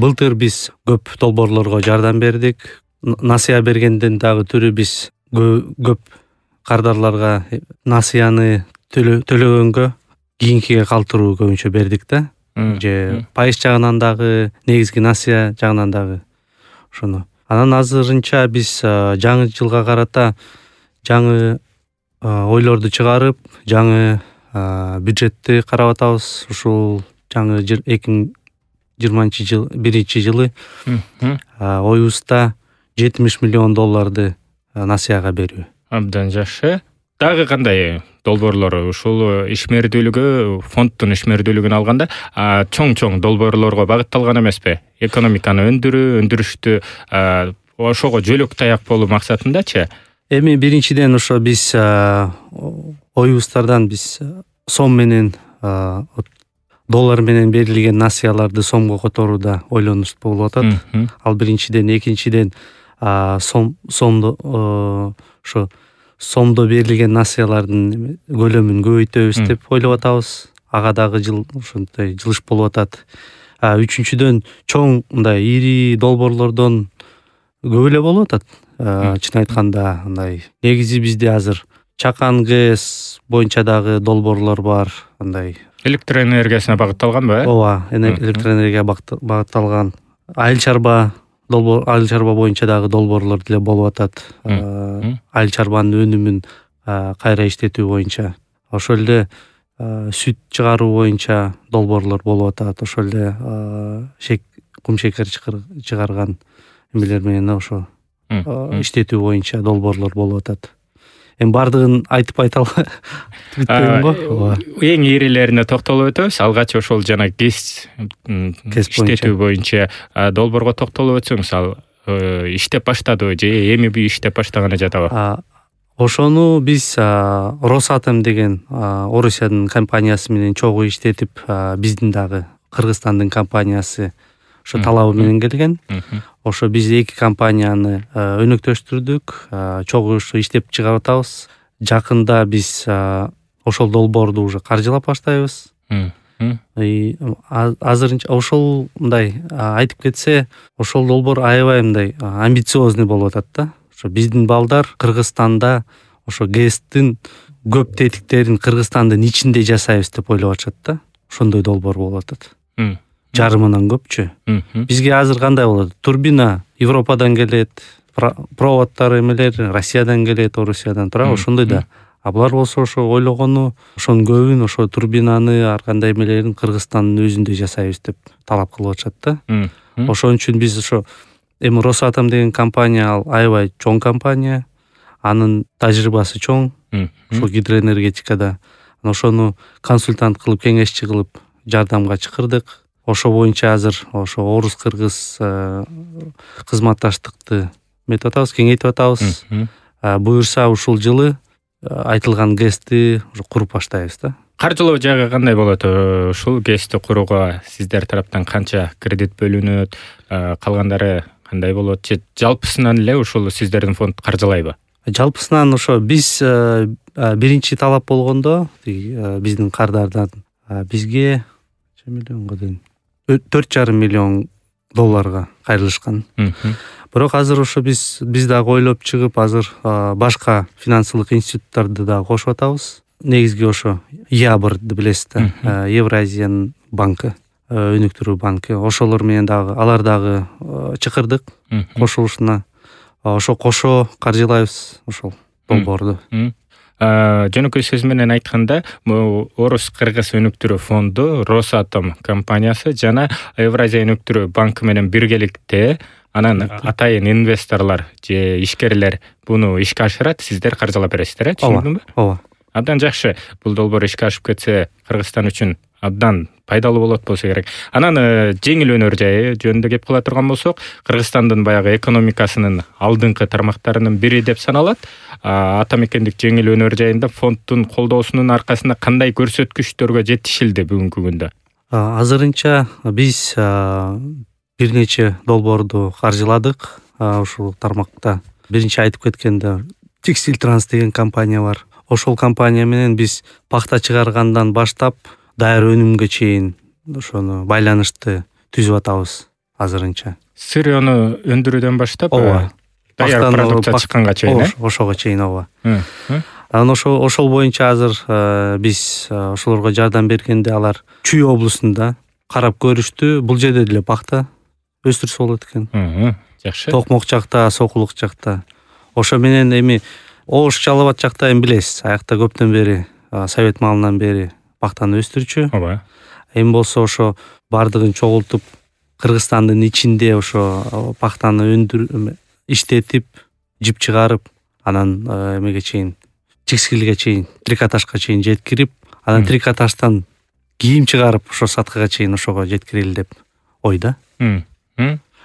Былтыр биз көп долбоорлорго жардам бердик. Насыя бергенден дагы түрү биз көп кардарларга насыяны төлөгөнгө кийинкиге калтыруу көбүнчө бердик да. Же пайыз жагынан дагы, негизги насыя жагынан дагы ошону. Анан азырынча биз жаңы жылга карата жаңы ойлорду чыгарып, жаңы бюджетти карап атабыз. Ушул жаңы 2021 жылы оюбузда $70 миллион насыяга берүү. Абдан жакшы. Дагы кандай долбоорлор ушул ишмердүүлүгү, фонддун ишмердүүлүгүн алганда чоң долбоорлорго багытталган эмеспи? Экономиканы өндүрүштү ошого жөлөк таяк болуу максатындачы? Эми биринчиден ошо биз оюбуздардан биз сом менен доллар менен берилген насыяларды сомго которууда ойлонуш болуп атат. Ал биринчиден, экинчиден сомдо берилген насыялардын көлөмүн көбөйтөбүз деп ойлоп атабыз. Ага дагы ушундай жылыш болуп атат. Үчүнчүдөн чоң мындай ири долбоорлордон көп эле болуп атат. Чын айтканда андай негизи бизде азыр чакан ГЭС боюнча дагы долбоорлор бар. Андай электр энергиясына багытталганбы? Ооба, электр энергияга багытталган. Айыл чарба боюнча дагы долбоорлор деле болуп атат. Айыл чарбанын өнүмүн кайра иштетүү боюнча. Ошол эле сүт чыгаруу боюнча долбоорлор болуп атат. Ошол эле кум шекер чыгарган эмелер менен ошо иштетүү боюнча долбоорлор болуп атат. Эми бардыгын айтып айта бүтпөйм го. Эң ирилерине токтолуп өтөбүз. Алгач ошол жана ГЭС иштетүү боюнча долбоорго токтолуп өтсөңүз, ал иштеп баштадыбы же эми иштеп баштаганы жатабы? Ошону биз Росатом деген Орусиянын компаниясы менен чогуу иштетип, биздин дагы Кыргызстандын компаниясы ошо талабы менен келген. Ошо биз эки компанияны өнөктөштүрдүк, чогуу иштеп чыгарып атабыз. Жакында биз ошол долбоорду уже каржылап баштайбыз. Азырынча ошол мындай айтып кетсе, ошол долбоор аябай мындай амбициозный болуп атат да. Ошо биздин балдар Кыргызстанда ошо ГЭСтин көп тетиктерин Кыргызстандын ичинде жасайбыз деп ойлоп атышат да. Ошондой долбоор болуп атат. Жарымынан көпчү. Бизге азыр кандай болот? Турбина Европадан келет, проводдор эмелер Россиядан келет, Орусиядан, туура ошондой да. А булар болсо ошо ойлогону ошонун көбүн, ошо турбинаны ар кандай эмелерин Кыргызстандын өзүндө жасайбыз деп талап кылып атышат да. Ошон үчүн биз ошо эми Росатом деген компания ал аябай чоң компания, анын тажрыйбасы чоң, ошо гидроэнергетикада. Ошону консультант кылып, кеңешчи кылып жардамга чакырдык. Ошо боюнча азыр ошо орус-кыргыз кызматташтыкты метип атабыз, кеңейтип атабыз. Буюрса ушул жылы айтылган ГЭСти уже куруп баштайбыз да. Каржылоо жагы кандай болот? Ушул ГЭСти курууга сиздер тараптан канча кредит бөлүнөт? Калгандары кандай болот? Же жалпысынан эле ушул сиздердин фонд каржылайбы? Жалпысынан ошо биз биринчи талап болгондо биздин кардардан бизге миллионго дейин $4,5 миллион кайрылышкан. Бирок азыр ошо биз дагы ойлоп чыгып, азыр башка финансылык институттарды дагы кошуп атабыз. Негизги ошо ЯБРды билесиз да, Евразиянын банкы, өнүктүрүү банкы. Ошолор менен дагы алар дагы чакырдык кошулушуна. Ошо кошо каржылайбыз ошол долбоорду. Жөнөкөй сөз менен айтканда, Орус-Кыргыз өнүктүрүү фонду, Росатом компаниясы жана Евразия өнүктүрүү банкы менен биргеликте анан атайын инвесторлор же ишкерлер буну ишке ашырат, сиздер каржылап бересиздер, түшүндүмбү? Ооба. Абдан жакшы. Бул долбоор ишке ашып кетсе, Кыргызстан үчүн абдан пайдалуу болот болсо керек. Анан жеңил өнөр жайы жөнүндө кеп кыла турган болсок, Кыргызстандын баягы экономикасынын алдыңкы тармактарынын бири деп саналат. Атамекендик жеңил өнөр жайында фонддун колдоосунун аркасында кандай көрсөткүчтөргө жетишилди бүгүнкү күндө? Азырынча биз бир нече долбоорду каржыладык ушул тармакта. Биринчи айтып кеткенде Текстиль Транс деген компания бар. Ошол компания менен биз пахта чыгаргандан баштап даяр өнүмгө чейин ошону байланышты түзүп атабыз. азырынча. Сырьёну өндүрүүдөн баштап Ооба. даяр продукция чыкканга чейин, ошого чейин, ооба. Анан ошол боюнча азыр биз ошолорго жардам бергенде алар Чүй облусунда карап көрүштү. Бул жерде деле бакта өстүрсө болот экен. Жакшы. Токмок жакта, Сокулук жакта. Ошо менен эми Ош Жалал Абад жакта эми билесиз, аякта көптөн бери совет маалынан бери бактаны өстүрчү. Ооба. Эми болсо ошо бардыгын чогултуп Кыргызстандын ичинде ошо бактаны иштетип, жип чыгарып, анан эмеге чейин, текстилге чейин, трикотажга чейин жеткирип, анан трикотаждан кийим чыгарып, ошо саткага чейин ошого жеткирели деп ойда.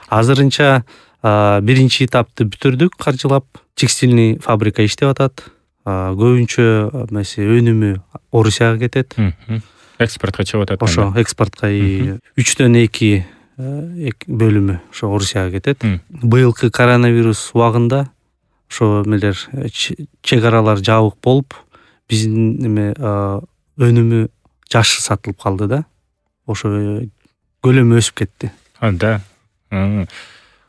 Азырынча биринчи этапты бүтүрдүк каржылап. Текстильный фабрика иштеп атат. Көбүнчө өнүмү Орусияга кетет. Экспортко чыгып атат. Ошо экспортко 3/2 бөлүмү ошо Орусияга кетет. Быйылкы коронавирус убагында ошо эмелер чек аралар жабык болуп, биздин өнүмү жакшы сатылып калды да. Ошо көлөмү өсүп кетти. Да.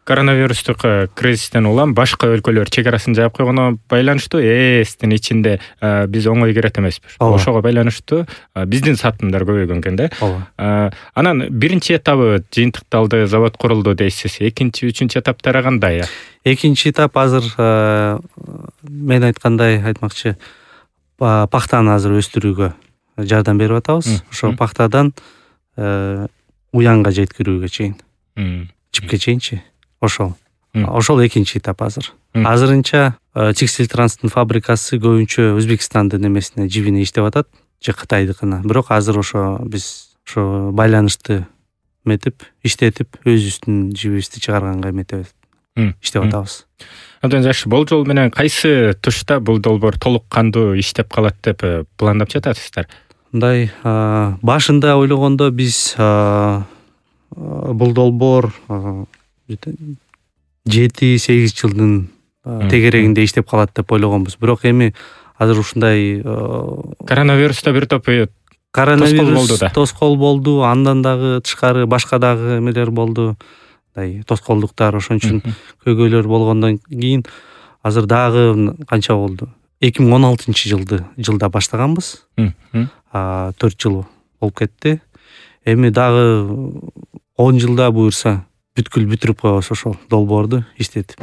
Коронавирустук кризистен улам башка өлкөлөр чек арасын жаап койгоно байланыштуу ЭСтин ичинде биз оңой кирет эмеспиз. Ошого байланыштуу биздин сатымдар көбөйгөн экен да. Анан биринчи этабы жыйынтыкталды, завод курулду дейсиз. Экинчи, үчүнчү этаптары кандай? Экинчи этап азыр мен айтмакчы, пахтаны азыр өстүрүүгө жардам берип атабыз. Ошо пахтадан уянга жеткирүүгө чейин, жипке чейинчи. Ошол экинчи этап азыр. Азырынча текстиль транстын фабрикасы көбүнчө Өзбекстандын эмесине, жибине иштеп атат, же Кытайдыкына. Бирок азыр ошо биз ошо байланышты эметип, иштетип, өзүбүздүн жибибизди чыгарганга эметебиз, иштеп атабыз. Абдан жакшы. Болжол менен кайсы тушта бул долбоор толук кандуу иштеп калат деп пландап жатасыздар? Мындай, башында ойлогондо биз бул долбоор 7-8 жылдын тегерегинде иштеп калат деп ойлогонбуз. Бирок эми азыр ушундай коронавируста бир топ тоскоол болду, андан дагы тышкары башка дагы эмелер болду. Тоскоолдуктар, ошон үчүн көйгөйлөр болгондон кийин азыр дагы канча болду? 2016-жылда баштаганбыз. 4 жыл болуп кетти. Эми дагы 10 жылда буюрса бүткүл бүтүрүп коебуз ошол долбоорду иштетип.